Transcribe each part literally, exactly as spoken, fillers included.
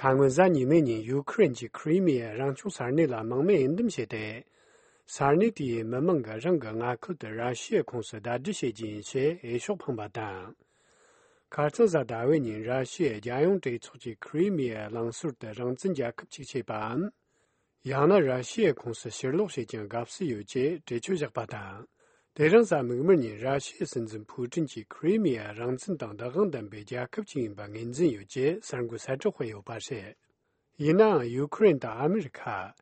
ད་སྔོན་གཟའ་ཉི་མའི་ཉིན་ཡུ་ཁུ་རེན་གྱིས་ཁི་རི་མི་ཡའི་རང་སྐྱོང་ས་གནས་ལ་དམག་མི་འོས་འདེམས་བྱས་ཏེ། ས་གནས་དེའི་མི་མང་གིས་རང་གི་མངའ་ཁུལ་དུ་ར་ཤི་ཡའི་ཁོངས་སུ་ཟླ་སྒྲིལ་བྱེད་རྒྱུ་ཡིན་ཞེས་འོས་ཤོག་འཕངས་པ་དང་། ཁ་རྩང་གཟའ་ཟླ་བའི་ཉིན་ར་ཤི་ཡའི་རྒྱལ་ཡོངས་གྲོས་ཚོགས་ཀྱིས་ཁི་རི་མི་ཡའི་གླིང་ཟུར་དུ་རང་བཙན་རྒྱལ་ཁབ་ཅིག་བྱེད་པའམ། ཡང་ན་ར་ཤི་ཡའི་ཁོངས་སུ་ཕྱིར་ལོག་བྱེད་ཀྱང་དགའ་བསུ་ཡོད་ཅེས་གྲོས་ཆོད་བཞག་པ་དང་། དེ་རིང་གཟའ་མིག་དམར་ཉིན་ར་ཤི་ཡའི་སྲིད་འཛིན་ཕུའུ་ཀྲིན་གྱིས་ཁི་རི་མི་ཡ་རང་བཙན་དང་བདག་དབང་ལྡན་པའི་རྒྱལ་ཁབ་ཅིག་ཡིན་པ་ངོས་འཛིན་ཡོད་ཅེས་གསར་འགོད་གསལ་བསྒྲགས་སྤེལ་ཡོད་པ་རེད། ཡིན་ནའང་ཡུ་ཁུ་རེན་དང་ཨ་མི་རི་ཁ།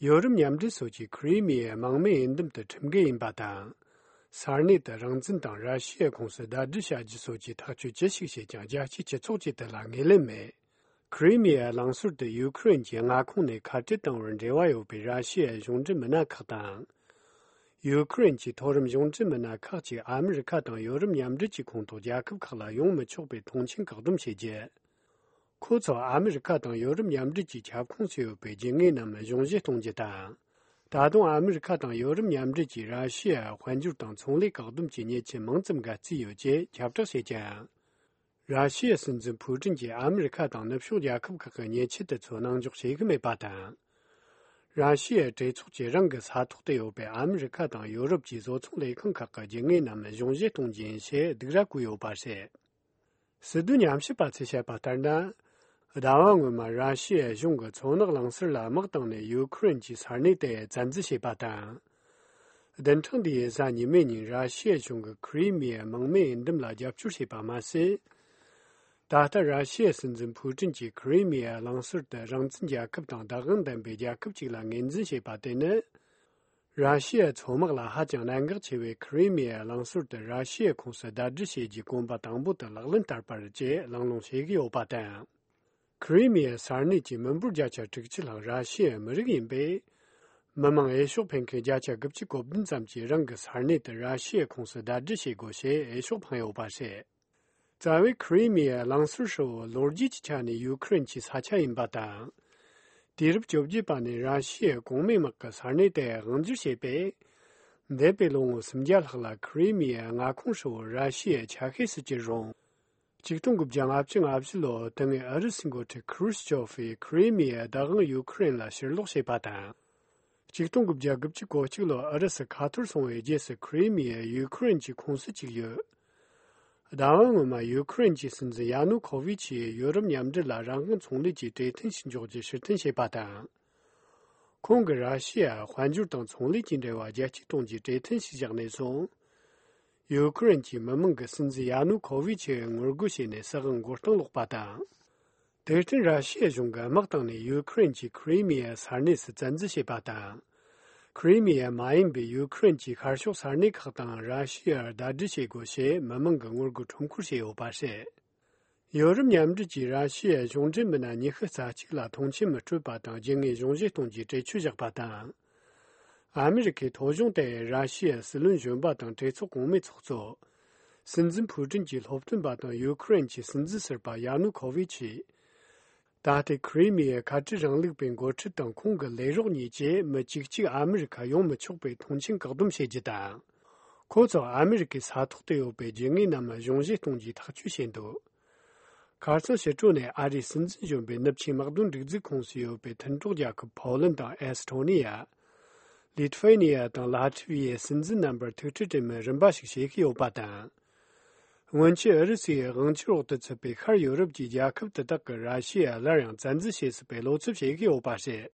ཡོ་རོབ་མཉམ་འབྲེལ་སོགས་ཀྱིས་ཁི་རི་མི་ཡའི་དམག་མི་འོས་འདེམས་དེ་ཁྲིམས་འགལ་ཡིན་པ་དང་། ས་གནས་དེ་རང་བཙན་དང་ར་ཤི་ཡའི་ཁོངས་སུ་ཟླ་སྒྲིལ་བྱ་རྒྱུ་སོགས་ཀྱི་ཐག་གཅོད་ཅི་ཞིག་བྱེད་ཀྱང་རྒྱལ་སྤྱིའི་སྤྱི་ཚོགས་ཀྱིས་དེ་ལ་ངོས་ལེན་མེད། ཁི་རི་མི་ཡའི་གླིང་ཟུར་དུ་ཡུ་ཁུ་རེན་གྱི་མངའ་ཁོངས་ནས་ཁ་བྲལ་བཏང་བར་འབྲེལ་བ་ཡོད་པའི་ར་ཤི་ཡའི་གཞུང་འབྲེལ་མི་སྣ་ཁག་དང་། ཡུ་ཁུ་རེན་གྱི་མཐོ་རིམ་གཞུང་འབྲེལ་མི་སྣ་ཁག་ཅིག་ཨ་མི་རི་ཁ་དང་ཡོ་རོབ་མཉམ་འབྲེལ་གྱི་ཁོངས་གཏོགས་རྒྱལ་ཁབ་ཁག་ལ་ཡོང་མི་ཆོག་པའི་ཐོངས་མཆན་བཀག་སྡོམ་བྱེད་རྒྱུ། ཁོ་ཚོ་ཨ་མི་རི་ཁ་དང་ཡོ་རོབ་མཉམ་འབྲེལ་གྱི་ཁྱབ་ཁོངས་སུ་ཡོད་པའི་རྒྱུ་དངོས་རྣམས་གཞུང་བཞེས་གཏོང་རྒྱུ་དང་། ད་དུང་ཨ་མི་རི་ཁ་དང་ཡོ་རོབ་མཉམ་འབྲེལ་གྱིས་ར་ཤི་ཡར་དཔལ་འབྱོར་དང་ཚོང་ལས་བཀག་སྡོམ་གྱི་ཉེས་ཆད་མང་ཙམ་འགལ་རྩིས་ཡོད་ཅེས་ཁྱབ་བསྒྲགས་བྱེད་ཀྱང་། ར་ཤི་ཡའི་སྲིད་འཛིན་ཕུའུ་ཀྲིན་གྱིས་ཨ་མི་རི་ཁ་དང་ནུབ་ཕྱོགས་རྒྱལ་ཁབ་ཁག་གི་ཉེས་ཆད་དེ་ཚོ་གནང་འཇོག་བྱེད་ཀྱི་མེད་པ་དང་། ར་ཤི་ཡའི་གྲོས་ཚོགས་ཀྱིས་རང་གི་ས་ཐོག་ཏུ་ཡོད་པའི་ཨ་མི་རི་ཁ་དང་ཡོ་རོབ་ཀྱི་བཟོ་ཚོང་ལས་ཁང་ཁག་གི་རྒྱུ་དངོས་རྣམས་གཞུང་བཞེས་གཏོང་རྒྱུ་ཡིན་ཞེས་སྡིགས་ར་བསྐུལ་ཡོད་པ་རེད། སྲིད་དོན་ཉམས་ཞིབ་པ་ཚོས་བཤད་པ་ལྟར་ན། ཟླ་བ་སྔོན་མ་ར་ཤི་ཡའི་གཞུང་གིས་མཚོ་ནག་གླིང་ཟུར་ལ་དམག་བཏང་ནས་ཡུ་ཁུ་རེན་གྱི་ས་གནས་དེ་བཙན་འཛུལ་བྱས་པ་དང་། བདུན་ཕྲག་འདིའི་གཟའ་ཉི་མའི་ཉིན་ར་ཤི་ཡའི་གཞུང་གིས་ཁི་རི་མི་ཡའི་དམག་མིའི་འོས་འདེམས་ལ་རྒྱབ་སྐྱོར་བྱས་པ་མ་ཟད། ད་ལྟ་ར་ཤི་ཡའི་སྲིད་འཛིན་ཕུའུ་ཀྲིན་གྱིས་ཁི་རི་མི་ཡའི་གླིང་ཟུར་དེ་རང་བཙན་རྒྱལ་ཁབ་དང་བདག་དབང་ལྡན་པའི་རྒྱལ་ཁབ་ཅིག་ལ་ངོས་འཛིན་བྱས་པ་དེ་ནི། ར་ཤི་ཡའི་མཚོ་དམག་ལ་ཧ་ཅང་གནད་འགག་ཆེ་བའི་ཁི་རི་མི་ཡའི་གླིང་ཟུར་དེ་ར་ཤི་ཡའི་ཁོངས་སུ་ཟླ་སྒྲིལ་བྱེད་རྒྱུའི་གོམ་པ་དང་པོ་དེ་ལག་ལེན་བསྟར་པ་རེད་ཅེས་གླེང་སློང་བྱེད་ཀྱི་ཡོད་པ་དང་། ཁི་རི་མི་ཡའི་ས་གནས་ཀྱི་མི་འབོར་བརྒྱ་ཆ་དྲུག་ཅུ་ལྷག་ར་ཤི་ཡའི་མི་རིགས་ཡིན་པས། མི་མང་འོས་ཤོག་འཕེན་མཁན་བརྒྱ་ཆ་དགུ་བཅུ་གོ་བདུན་ཙམ་གྱིས་རང་གི་ས་གནས་དེ་ར་ཤི་ཡའི་ཁོངས་སུ་ཟླ་སྒྲིལ་བྱེད་དགོས་ཞེས་འོས་ཤོག་འཕངས་ཡོད་པ་རེད། རྩ་བའི་ཁི་རི་མི་ཡའི་གླིང་ཟུར་ཧྲིལ་བོ་ལོ་རྒྱུས་ཀྱི་ཆ་ནས་ཡུ་ཁུ་རེན་གྱི་ས་ཆ་ཡིན་པ་དང་། དུས་རབས་བཅོ་བརྒྱད་པ་ནས་ར་ཤི་ཡའི་གོང་མའི་དམག་གིས་ས་གནས་དེ་དབང་སྒྱུར་བྱས་པས། འདས་པའི་ལོ་ངོ་སུམ་བརྒྱ་ལྷག་ལ་ཁི་རི་མི་ཡའི་མངའ་ཁོངས་ཧྲིལ་བོ་ར་ཤི་ཡའི་ཆ་ཤས་སུ་གྱུར་རུང་། ཆིག་སྟོང་དགུ་བརྒྱ་ལྔ་བཅུ་ང་བཞི་ལོར་དེ་སྔའི་ཨུ་རུ་སུའི་འགོ་ཁྲིད་ཁུ་རུ་ཤི་ཆོབ་ཀྱིས་ཁི་རི་མི་ཡའི་བདག་དབང་ཡུ་ཁུ་རེན་ལ་ཕྱིར་སློག་བྱས་པ་དང་། ཆིག་སྟོང་དགུ་བརྒྱ་དགུ་བཅུ་གོ་གཅིག་ལོར་ཨུ་རུ་སུ་ཁ་ཐོར་སོང་བའི་རྗེས་སུ་ཁི་རི་མི་ཡ་ཡུ་ཁུ་རེན་གྱི་ཁོངས་སུ་བཅུག་ཡོད། ཟླ་བ་སྔོན་མ་ཡུ་ཁུ་རེན་གྱི་སྲིད་འཛིན་ཡ་ནུ་ཁོ་ཝི་ཆིས་ཡོ་རོབ་མཉམ་འབྲེལ་ལ་རང་དབང་ཚོང་ལས་ཀྱི་གྲོས་མཐུན་ཞིག་འཇོག་རྒྱུ་ཕྱིར་འཐེན་བྱས་པ་དང་། ཁོང་གིས་ར་ཤི་ཡར་དཔལ་འབྱོར་དང་ཚོང་ལས་ཀྱི་འབྲེལ་བ་རྒྱ་སྐྱེད་གཏོང་རྒྱུའི་གྲོས་མཐུན་ཞིག་བཞག་ནས་བཟུང་། ཡུ་ཁུ་རེན་གྱི་མི་མང་གིས་སྲིད་འཛིན་ཡ་ནུ་ཁོ་ཝི་ཆི་ངོ་རྒོལ་བྱས་ནས་སྲིད་དབང་མགོ་རྟིང་སློག་པ་དང་། དེར་བརྟེན་ར་ཤི་ཡའི་གཞུང་གིས་དམག་བཏང་ནས་ཡུ་ཁུ་རེན་གྱི་ཁི་རི་མི་ཡའི་ས་གནས་སུ་བཙན་འཛུལ་བྱས་པ་དང་། ཁི་རི་མི་ཡ་མ་ཡིན་པའི་ཡུ་ཁུ་རེན་གྱི་ཤར་ཕྱོགས་ས་གནས་ཁག་དང་ར་ཤི་ཡར་ཟླ་སྒྲིལ་བྱེད་དགོས་ཞེས་མི་མང་གིས་ངོ་རྒོལ་ཁྲོམ་སྐོར་བྱས་ཡོད་པ་རེད། ཡོ་རོབ་མཉམ་འབྲེལ་གྱིས་ར་ཤི་ཡའི་གཞུང་འབྲེལ་མི་སྣ་ཉི་ཤུ་རྩ་གཅིག་ལ་ཐོངས་མཆན་མི་སྤྲོད་པ་དང་རྒྱུ་དངོས་གཞུང་བཞེས་གཏོང་རྒྱུའི་གྲོས་ཆོད་བཞག་པ་དང་། ཨ་མི་རི་ཁའི་ཐོ་གཞུང་དེ་ར་ཤི་ཡའི་སྲིད་བློན་གཞོན་པ་དང་གྲོས་ཚོགས་གོང་མའི་ཚོགས་གཙོ། སྲིད་འཛིན་ཕུའུ་ཀྲིན་གྱི་སློབ་སྟོན་པ་དང་ཡུ་ཁུ་རེན་གྱི་སྲིད་འཛིན་ཟུར་པ་ཡ་ནུ་ཁོ་ཝི་ཆི། ད་ལྟའི་ཁི་རི་མི་ཡའི་ཁ་བྲལ་རིང་ལུགས་པའི་འགོ་ཁྲིད་དང་ཁོང་གི་ལས་རོགས་གཉིས་བཅས་མི་གཅིག་གཅིག་ཨ་མི་རི་ཁ་ཡོང་མི་ཆོག་པའི་ཐོངས་མཆན་བཀག་སྡོམ་བྱེད་རྒྱུ་དང་། ཁོ་ཚོ་ཨ་མི་རི་ཁའི་ས་ཐོག་ཏུ་ཡོད་པའི་རྒྱུ་དངོས་རྣམས་གཞུང་བཞེས་གཏོང་རྒྱུའི་ཐག་གཅོད་བྱས་འདུག་ཁ་རྩང་ཕྱི་དྲོ་ནས་ཨ་རིའི་སྲིད་འཛིན་གཞོན་པས་ནུབ་ཆིངས་དམག་དོན་སྒྲིག་འཛུགས་ཁོངས་སུ་ཡོད་པའི་མཐུན་གྲོགས་རྒྱལ་ཁབ་ཕོ་ལན་དང་ཨེ་སི་ཐོ་ནི་ཡ། ལི་ཐུ་ཝེ་ནི་ཡ་དང་ལ་ཐི་ཝི་ཡའི་སྲིད་འཛིན་རྣམ་པར་ཐུག་འཕྲད་གྲོས་མོལ་རིམ་པ་ཞིག་བྱེད་ཀྱི་ཡོད་པ་དང་། སྔོན་ཆད་ཨུ་རུ་སུའི་དབང་སྒྱུར་འོག་ཏུ་ཚུད་པའི་ཤར་ཡོ་རོབ་ཀྱི་རྒྱལ་ཁབ་དེ་དག་གིས་ར་ཤི་ཡ་སླར་ཡང་བཙན་འཛུལ་བྱེད་སྲིད་པའི་བློ་འཚབ་བྱེད་ཀྱི་ཡོད་པ་རེད།